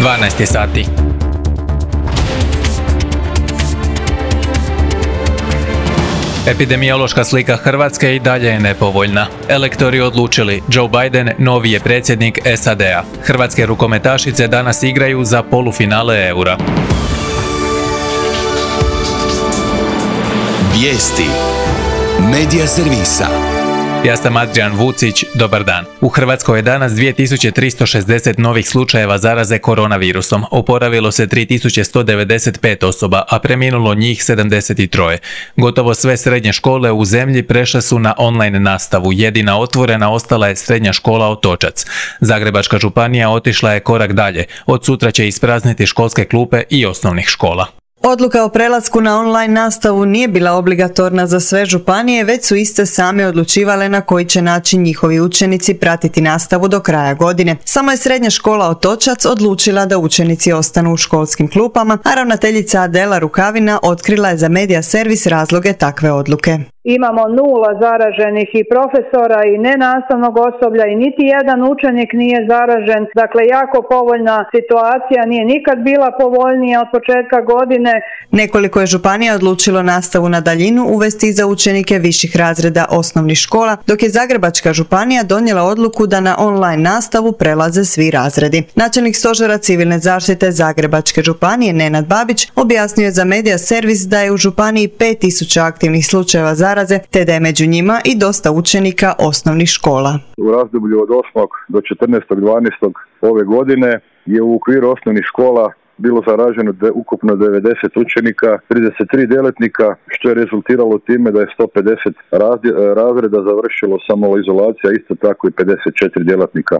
12 je sati. Epidemiološka slika Hrvatske i dalje je nepovoljna. Elektori odlučili, Joe Biden novi je predsjednik SAD-a. Hrvatske rukometašice danas igraju za polufinale Eura. Vijesti Medija servisa. Ja sam Adrian Vucić, dobar dan. U Hrvatskoj je danas 2360 novih slučajeva zaraze koronavirusom. Oporavilo se 3195 osoba, a preminulo njih 73. Gotovo sve srednje škole u zemlji prešle su na online nastavu. Jedina otvorena ostala je srednja škola Otočac. Zagrebačka županija otišla je korak dalje. Od sutra će isprazniti školske klupe i osnovnih škola. Odluka o prelasku na online nastavu nije bila obligatorna za sve županije, već su iste same odlučivale na koji će način njihovi učenici pratiti nastavu do kraja godine. Samo je srednja škola Otočac odlučila da učenici ostanu u školskim klupama, a ravnateljica Adela Rukavina otkrila je za Medija servis razloge takve odluke. Imamo 0 zaraženih i profesora i nenastavnog osoblja i niti jedan učenik nije zaražen. Dakle, jako povoljna situacija, nije nikad bila povoljnija od početka godine. Nekoliko je županija odlučilo nastavu na daljinu uvesti za učenike viših razreda osnovnih škola, dok je Zagrebačka županija donijela odluku da na online nastavu prelaze svi razredi. Načelnik stožera civilne zaštite Zagrebačke županije Nenad Babić objasnio je za Medija servis da je u županiji 5000 aktivnih slučajeva zaraze, te da je među njima i dosta učenika osnovnih škola. U razdoblju od 8. do 14.12. ove godine je u okviru osnovnih škola bilo zaraženo ukupno 90 učenika, 33 djelatnika, što je rezultiralo time da je 150 razreda završilo samoizolacija, isto tako i 54 djelatnika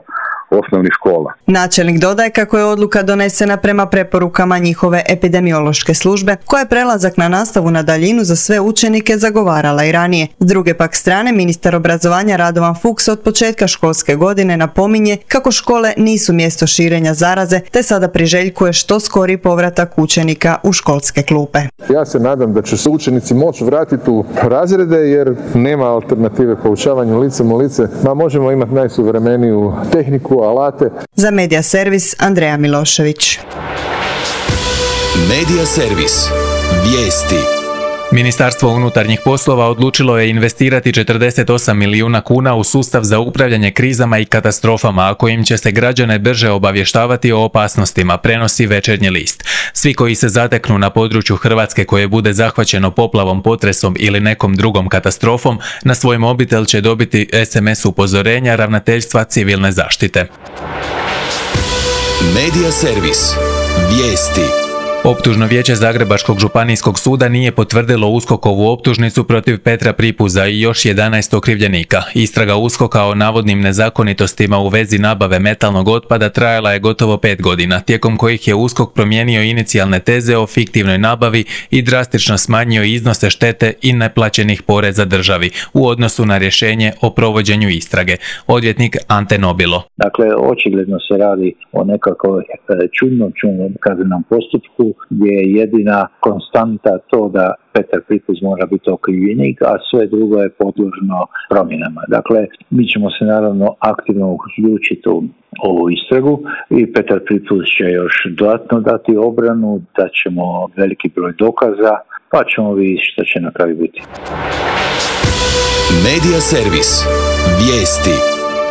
osnovnih škola. Načelnik dodaje kako je odluka donesena prema preporukama njihove epidemiološke službe, koja je prelazak na nastavu na daljinu za sve učenike zagovarala i ranije. S druge pak strane, ministar obrazovanja Radovan Fuchs od početka školske godine napominje kako škole nisu mjesto širenja zaraze, te sada priželjkuje što skori povratak učenika u školske klupe. Ja se nadam da će se učenici moći vratiti u razrede jer nema alternative poučavanju licem u lice. Možemo imati najsuvremeniju tehniku, alate. Za Medija servis Andreja Milošević. Medija servis. Vijesti. Ministarstvo unutarnjih poslova odlučilo je investirati 48 milijuna kuna u sustav za upravljanje krizama i katastrofama, a kojim će se građane brže obavještavati o opasnostima, prenosi Večernji list. Svi koji se zateknu na području Hrvatske koje bude zahvaćeno poplavom, potresom ili nekom drugom katastrofom, na svoj mobitel će dobiti SMS upozorenja Ravnateljstva civilne zaštite. Medija servis. Vijesti. Optužno vijeće Zagrebačkog županijskog suda nije potvrdilo USKOK-ovu optužnicu protiv Petra Pripuza i još 11 okrivljenika. Istraga USKOK-a o navodnim nezakonitostima u vezi nabave metalnog otpada trajala je gotovo 5 godina, tijekom kojih je USKOK promijenio inicijalne teze o fiktivnoj nabavi i drastično smanjio iznose štete i neplaćenih poreza državi u odnosu na rješenje o provođenju istrage. Odvjetnik Ante Nobilo. Dakle, očigledno se radi o nekakvom čudnom kaznenom postupku gdje je jedina konstanta to da Petar Pripuz mora biti okrivljenik, a sve drugo je podložno promjenama. Dakle, mi ćemo se naravno aktivno uključiti u ovu istragu i Petar Pripuz će još dodatno dati obranu, da ćemo veliki broj dokaza, pa ćemo vidjeti što će na kraju biti. Medija servis. Vijesti.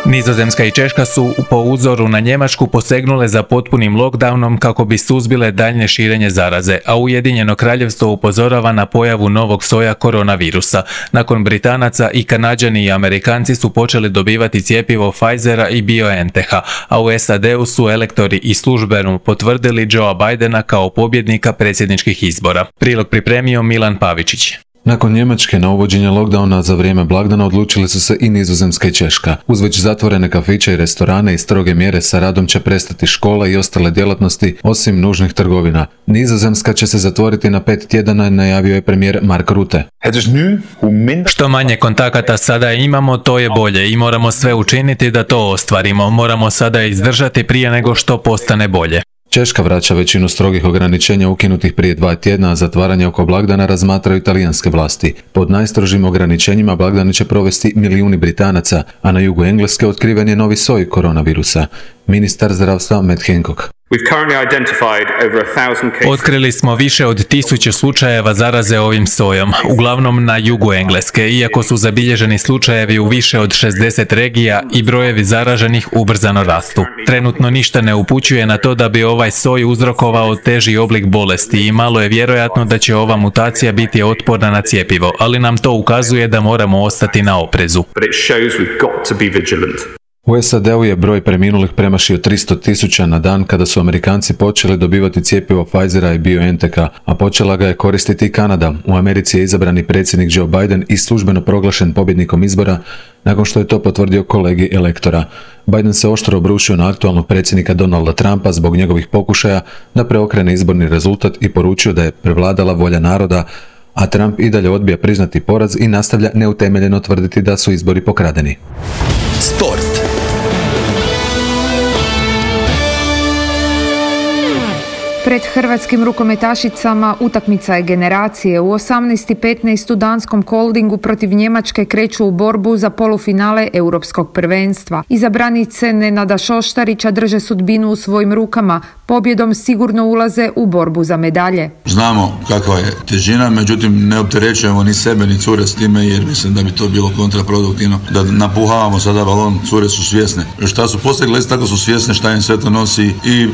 Nizozemska i Češka su po uzoru na Njemačku posegnule za potpunim lockdownom kako bi suzbile daljnje širenje zaraze, a Ujedinjeno Kraljevstvo upozorava na pojavu novog soja koronavirusa. Nakon Britanaca i Kanađani i Amerikanci su počeli dobivati cjepivo Pfizera i BioNTecha, a u SAD-u su elektori i službeno potvrdili Joea Bidena kao pobjednika predsjedničkih izbora. Prilog pripremio Milan Pavičić. Nakon Njemačke na uvođenje lockdowna za vrijeme blagdana odlučili su se i Nizozemska i Češka. Uz već zatvorene kafiće i restorane i stroge mjere sa radom će prestati škola i ostale djelatnosti osim nužnih trgovina. Nizozemska će se zatvoriti na 5 tjedana, najavio je premijer Mark Rutte. Što manje kontakata sada imamo, to je bolje i moramo sve učiniti da to ostvarimo. Moramo sada izdržati prije nego što postane bolje. Češka vraća većinu strogih ograničenja ukinutih prije 2 tjedna, a zatvaranje oko blagdana razmatraju talijanske vlasti. Pod najstrožim ograničenjima blagdane će provesti milijuni Britanaca, a na jugu Engleske otkriven je novi soj koronavirusa. Ministar zdravstva Matt Hancock. Otkrili smo više od 1000 slučajeva zaraze ovim sojom, uglavnom na jugu Engleske, iako su zabilježeni slučajevi u više od 60 regija i brojevi zaraženih ubrzano rastu. Trenutno ništa ne upućuje na to da bi ovaj soj uzrokovao teži oblik bolesti i malo je vjerojatno da će ova mutacija biti otporna na cjepivo, ali nam to ukazuje da moramo ostati na oprezu. U SAD-u je broj preminulih premašio 300.000 na dan kada su Amerikanci počeli dobivati cjepivo Pfizera i BioNTecha, a počela ga je koristiti i Kanada. U Americi je izabrani predsjednik Joe Biden i službeno proglašen pobjednikom izbora nakon što je to potvrdio kolegi elektora. Biden se oštro obrušio na aktualnog predsjednika Donalda Trumpa zbog njegovih pokušaja da preokrene izborni rezultat i poručio da je prevladala volja naroda, a Trump i dalje odbija priznati poraz i nastavlja neutemeljeno tvrditi da su izbori pokradeni. Sport. Pred hrvatskim rukometašicama utakmica je generacije. U 18:15 u danskom Koldingu protiv Njemačke kreću u borbu za polufinale europskog prvenstva. Izabranice Nenada Šoštarića drže sudbinu u svojim rukama. Pobjedom sigurno ulaze u borbu za medalje. Znamo kakva je težina, međutim ne opterećujemo ni sebe ni cure s time jer mislim da bi to bilo kontraproduktivno. Da napuhavamo sada balon, cure su svjesne. Šta su postigli, tako su svjesne šta im sve to nosi i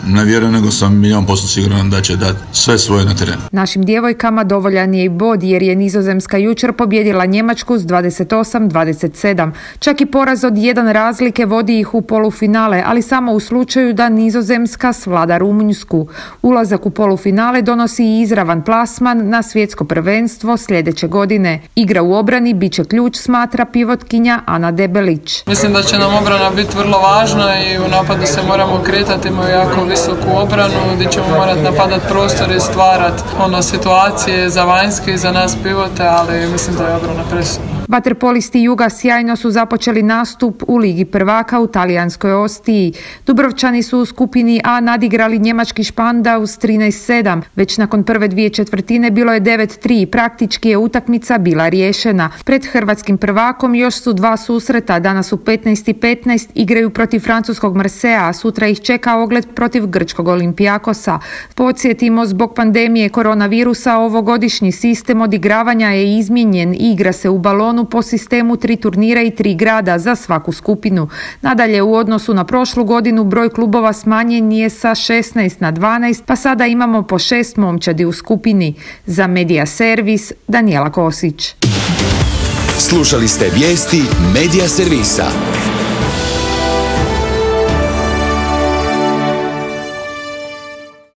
ne vjerujem nego sam 100% siguran da će dati sve svoje na terenu. Našim djevojkama dovoljan je i bod jer je Nizozemska jučer pobjedila Njemačku s 28-27. Čak i poraz od 1 razlike vodi ih u polufinale, ali samo u slučaju da Nizozemska svlada Rumunjsku. Ulazak u polufinale donosi i izravan plasman na svjetsko prvenstvo sljedeće godine. Igra u obrani bit će ključ, smatra pivotkinja Ana Debelić. Mislim da će nam obrana biti vrlo važna i u napadu se moramo kretati, imamo jako visoku obranu gdje ćemo morati napadati prostor i stvarati situacije za vanjske i za nas pivote, ali mislim da je obrana presudna. Vaterpolisti Juga sjajno su započeli nastup u Ligi prvaka u talijanskoj Ostiji. Dubrovčani su u skupini A nadigrali njemački Špandaus 13-7. Već nakon prve 2 četvrtine bilo je 9-3. Praktički je utakmica bila riješena. Pred hrvatskim prvakom još su 2 susreta. Danas u 15:15 igraju protiv francuskog Marseja, a sutra ih čeka ogled protiv grčkog Olimpijakosa. Podsjetimo, zbog pandemije koronavirusa ovogodišnji sistem odigravanja je izmijenjen i igra se u balonu po sistemu 3 turnira i 3 grada za svaku skupinu. Nadalje, u odnosu na prošlu godinu broj klubova smanjen je sa 16 na 12, pa sada imamo po 6 momčadi u skupini. Za Medija Servis, Danijela Kosić. Slušali ste vijesti Medija Servisa.